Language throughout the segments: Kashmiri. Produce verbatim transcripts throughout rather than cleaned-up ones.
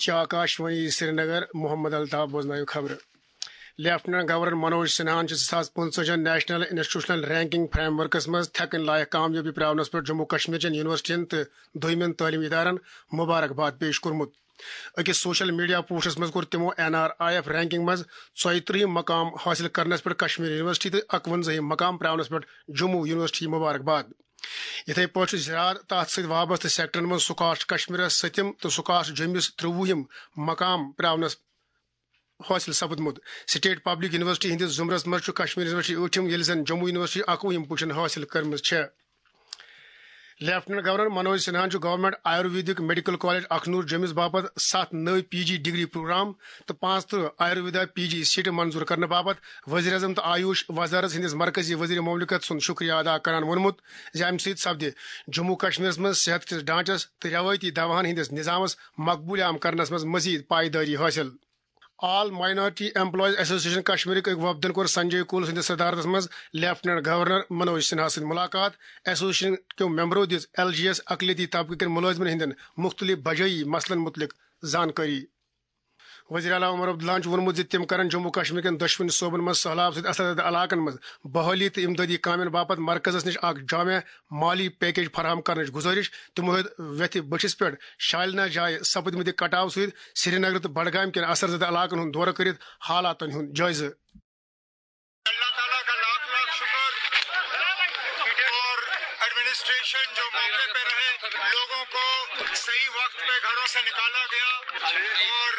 چھِ آکاشوانی سرینگر، محمد الطاف، بوزنٲیِو خبرٕ۔ لیفٹیننٹ گورنر منوج سنہاہن چھِ زٕ ساس پٕنٛژٕہَن national institutional ranking frame works منٛز تھٮ۪کٕنۍ لایق کامیٲبی پرٛاونس پٮ۪ٹھ جموں کشمیر چٮ۪ن یونیورسٹین تہٕ دوٚیمٮ۪ن تعلیمی ادارن مبارک باد پیش کوٚرمُت۔ أکِس سوشل میڈیا پوسٹس منٛز کوٚر تِمو N R I F ranking منٛز ژۄیہِ ترٕٛہِم مقام حٲصِل کرنس پٮ۪ٹھ کشمیر یونیورسٹی تہٕ اَکوَنزاہِم مقام پرٛاونس پٮ۪ٹھ جموں یونیورسٹی مبارک باد۔ یِتھے پٲٹھۍ چھُ زراعت تہٕ اَتھ سۭتۍ وابستہٕ سیکٹرن منٛز سکاسٹ کشمیرس سٔتِم تہٕ سکاسٹ جوٚمِس ترٛۆوُہِم مقام پرٛاونس حٲصِل سپُدمُت۔ سٹیٹ پبلک یونیورسٹی ہٕنٛدِس زمرس منٛز چھُ کشمیر یونیورسٹی ٲٹھِم، ییٚلہِ زن جموں یونیورسٹی اَکوُہِم پوزیشن حٲصِل کٔرمٕژ چھےٚ۔ لیفٹیننٹ گورنر منوج سنہاہن چھُ گورنمنٹ آیورویدک میڈیکل کالج اخنور جوٚمِس باپتھ ستھ نٔوۍ پی جی ڈگری پروگرام تہٕ پانٛژترٕٛہ آیورویدا پی جی سیٹہٕ منظور کرنہٕ باپتھ وزیر اعظم تہٕ آیوش وزارت ہٕنٛدِس مرکزی وزیر مملکت سُنٛد شکریہ ادا کران ووٚنمُت زِ امہِ سۭتۍ سپدِ جموں کشمیرس منٛز صحت کِس ڈھانچس تہٕ روایتی دواہن ہٕنٛدِس نظامس مقبول عام کرنس منٛز مزید پائیدٲری حٲصِل۔ آل مائنارٹی ایمپلائز ایسوسیشن کشمیرٕکۍ أکۍ وفدن کوٚر سنجے کول سٕنٛدِس صدارتس منٛز لیفٹیننٹ گورنر منوج سنہا سۭتۍ ملاقات۔ ایسوسیشن کیو ممبرو دِژ ایل جی ایس اقلیتی طبقہٕ کٮ۪ن مُلٲزمن ہٕنٛدٮ۪ن مُختٔلِف بجٲیی مسلن مُتعلق زانکٲری۔ وزیر اعلیٰ عمر عبداللہن چھُ ووٚنمُت زِ تِم کرن جموں کشمیر کٮ۪ن دۄشوٕنی صوبن منٛز سٔہلاب سۭتۍ اثر زدٕ علاقن منٛز بحالی تہٕ امدادی کامٮ۪ن باپتھ مرکزس نِش اکھ جامع مالی پیکیج فراہم کرنٕچ گُزٲرِش۔ تِمو ہیوٚت ویتھِ بٔٹھِس پٮ۪ٹھ شالنا جایہِ سپدمٕتہِ کٹاو سۭتۍ سرینگر تہٕ بڈگام کٮ۪ن اثر زدٕ علاقن ہُنٛد دورٕ کٔرِتھ حالاتن ہُنٛد جٲیزٕ۔ اللہ تعالیٰ کا لاکھ لاکھ شکر اور ایڈمنسٹریشن جو موقع پہ رہے، لوگوں کو صحیح وقت پہ گھروں سے نکالا گیا اور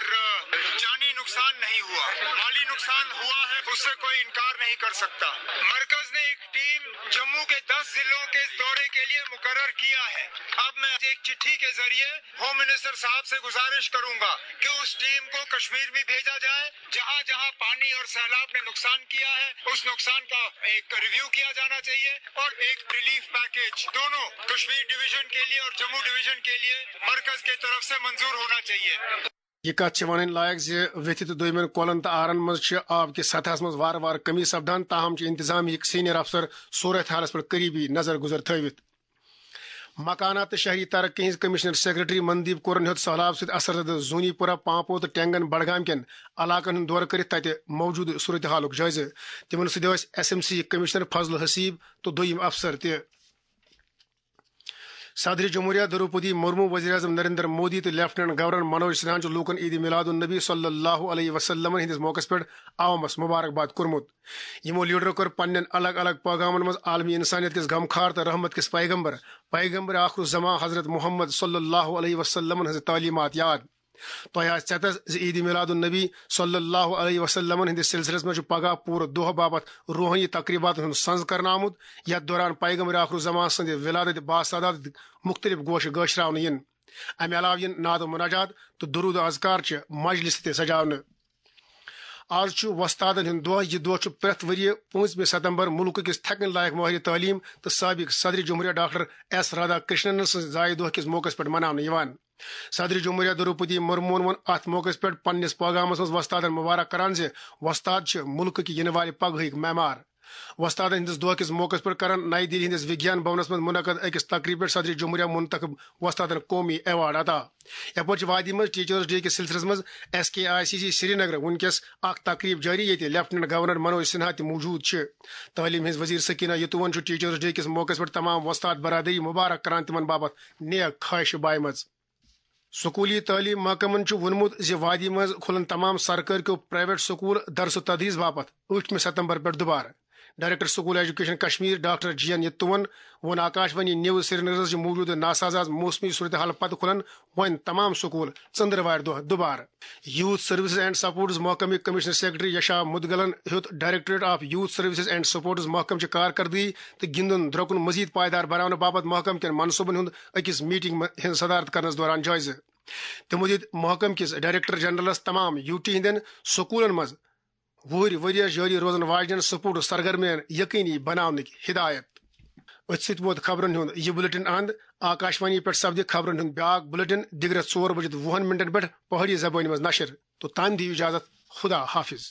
جانی نقصان نہیں ہوا، مالی نقصان ہوا ہے، اس سے کوئی انکار نہیں کر سکتا۔ مرکز نے ایک ٹیم جموں کے دس ضلعوں کے دورے کے لیے مقرر کیا ہے۔ اب میں ایک چٹھی کے ذریعے ہوم منسٹر صاحب سے گزارش کروں گا کہ اس ٹیم کو کشمیر بھی بھیجا جائے، جہاں جہاں پانی اور سیلاب نے نقصان کیا ہے، اس نقصان کا ایک ریویو کیا جانا چاہیے اور ایک ریلیف پیکیج دونوں کشمیر ڈویژن کے لیے اور جموں ڈویژن کے لیے مرکز کی طرف سے منظور ہونا چاہیے۔ یہِ کتھ چھِ ونٕنۍ لایق زِ ویتھِ تہٕ دوٚیمٮ۪ن کۄلن تہٕ آرن منٛز چھِ آب کِس سطحس منٛز وارٕ وارٕ کمی سپدان، تاہم چھِ انتظامیہٕکۍ سینئر افسر صورت حالس پٮ۪ٹھ قریبی نظر گزر تھٲوِتھ۔ مکانات تہٕ شہری ترقی ہٕنٛز کمشنر سیکرٹری مندیپ کورن ہیوٚت سہلاب سۭتۍ اثر زدٕ زونی پورہ، پانپور تہٕ ٹینگن بڈگام کٮ۪ن علاقن ہُنٛد دورٕ کٔرِتھ تتہِ موجودٕ صورتحالُک جٲیزٕ۔ تِمن سۭتۍ ٲسۍ ایس ایم سی کمشنر فضل حسیب تہٕ دوٚیِم افسر تہِ۔ صدر جمہوریہ دروپدی مرمو، وزیر اعظم نریندر مودی تہٕ لیفٹیننٹ گورنر منوج سنہاہن چھُ لوٗکن عید میلاد النبی صلی اللہ علیہ وسلم ہٕنٛدِس موقعس پٮ۪ٹھ عوامس مبارک باد کوٚرمُت۔ یِمو لیڈرو کٔر پننٮ۪ن الگ الگ پیغامن منٛز عالمی انسانیت کِس غمخار تہٕ رحمت کِس پیغمبر، پیغمبر آخر الزمان حضرت محمد صلی اللہ علیہ وسلم ہٕنٛز تعلیمات یاد۔ تۄہہِ آسہِ ژٮ۪تس زِ عید میلاد النبی صلی اللہ علیہ وسلم ہٕنٛدِس سلسلس منٛز چھُ پگاہ پوٗرٕ دۄہ باپتھ روحٲنی تقریباتن ہُنٛد سنز کرنہٕ آمُت، یتھ دوران پیغمبر آخر الزمان سٕنٛدِ ولادت باصادات مُختٔلِف گوشہٕ گٲشراونہٕ یِن۔ امہِ علاوٕ یِن نعت و مناجات تہٕ درود و اذکار چہِ مجلسہٕ تہِ سجاونہٕ۔ آز چھُ وۄستادن ہُنٛد دۄہ۔ یہِ دۄہ چھُ پرٛٮ۪تھ ؤرۍ یہِ پٲنٛژمہِ ستمبر مُلکہٕ کِس تھٮ۪کن لایق مٲہرِ تعلیٖم تہٕ سٲبق صدر جمہوریہ ڈاکٹر ایس رادھا کرشنن سٕنٛزِ زایہِ دۄہ کِس موقعس پٮ۪ٹھ مناونہٕ یِوان۔ صدر جمہوریہ دروپدی مرموہن ووٚن اتھ موقعس پٮ۪ٹھ پننِس پیغامس منٛز وۄستادن مبارک کران زِ وۄستاد چھِ مُلکہٕ کہِ یِنہٕ والہِ پگہٕکۍ معمار۔ وۄستادن ہٕنٛدِس دۄہ کِس موقعس پٮ۪ٹھ کرن نَیہِ دِلہِ ہٕنٛدِس وِگیان بھونس منٛز منعقد أکِس تقریبہِ پٮ۪ٹھ صدر جمہوریہ منتخب وۄستادن قومی ایوارڈ عطا۔ یپٲرۍ چھِ وادی منٛز ٹیچرس ڈے کِس سلسلس منٛز S K I C C Srinagar وُنکیٚس اکھ تقریب جٲری، ییٚتہِ لیفٹیننٹ گورنر منوج سنہا تہِ موجود چھِ۔ تعلیٖم ہٕنٛز وزیر سکینہ یتوون چھُ ٹیچرس ڈے کِس موقعس پٮ۪ٹھ تمام وۄستاد برادری مبارک کران تہٕ تِمن باپتھ نیک خواہشہٕ بایمژ۔ سکولی تعلیٖم محکمن چھُ ووٚنمُت زِ وادی منٛز کھُلن تمام سرکٲرۍ کیو پرائیویٹ سکول درس و تدریس باپتھ ٲٹھمہِ ستمبر پٮ۪ٹھ دُبارٕ۔ Director school education Kashmir doctor G N یتوون ووٚن آکاشوانی نیوز سرینگرس زِ موجودٕ ناسازاز موسمی صورتحال پتہٕ کھُلن وۄنۍ تمام سکول ژٔندٕروارِ دۄہ دُبارٕ۔ یوتھ سروسز اینڈ سپورٹس محکمٕکۍ کمشنر سیکرٹری یشا مدگلن ہیوٚت directorate of youth services and sports محکمہٕ چہِ کارکردگی تہٕ گِنٛدُن درٛۄکُن مزید پائیدار بناونہٕ باپتھ محکمہٕ کٮ۪ن منصوبن ہُنٛد أکِس میٹنگ منٛز ہٕنٛز صدارت کرنس دوران جٲیزٕ۔ تِمو دِتۍ محکمہٕ کِس ڈائریکٹر جنرلس تمام یوٗ ٹی ہٕنٛدٮ۪ن سکوٗلن منٛز وُہٕرۍ ؤرۍ یَس جٲری روزن واجنٮ۪ن سپورٹس سرگرمین یقینی بناونٕکۍ ہدایت۔ أتھۍ سۭتۍ ووت خبرن ہُنٛد یہِ بلیٹن اند۔ آکاشوانی پٮ۪ٹھ سپدِ خبرن ہُنٛد بیاکھ بلیٹن دِگرس ژور بجِتھ وُہن منٹن پٮ۪ٹھ پہاڑی زبٲنۍ منٛز نشر۔ تو تام دِیِو اجازت، خدا حافظ۔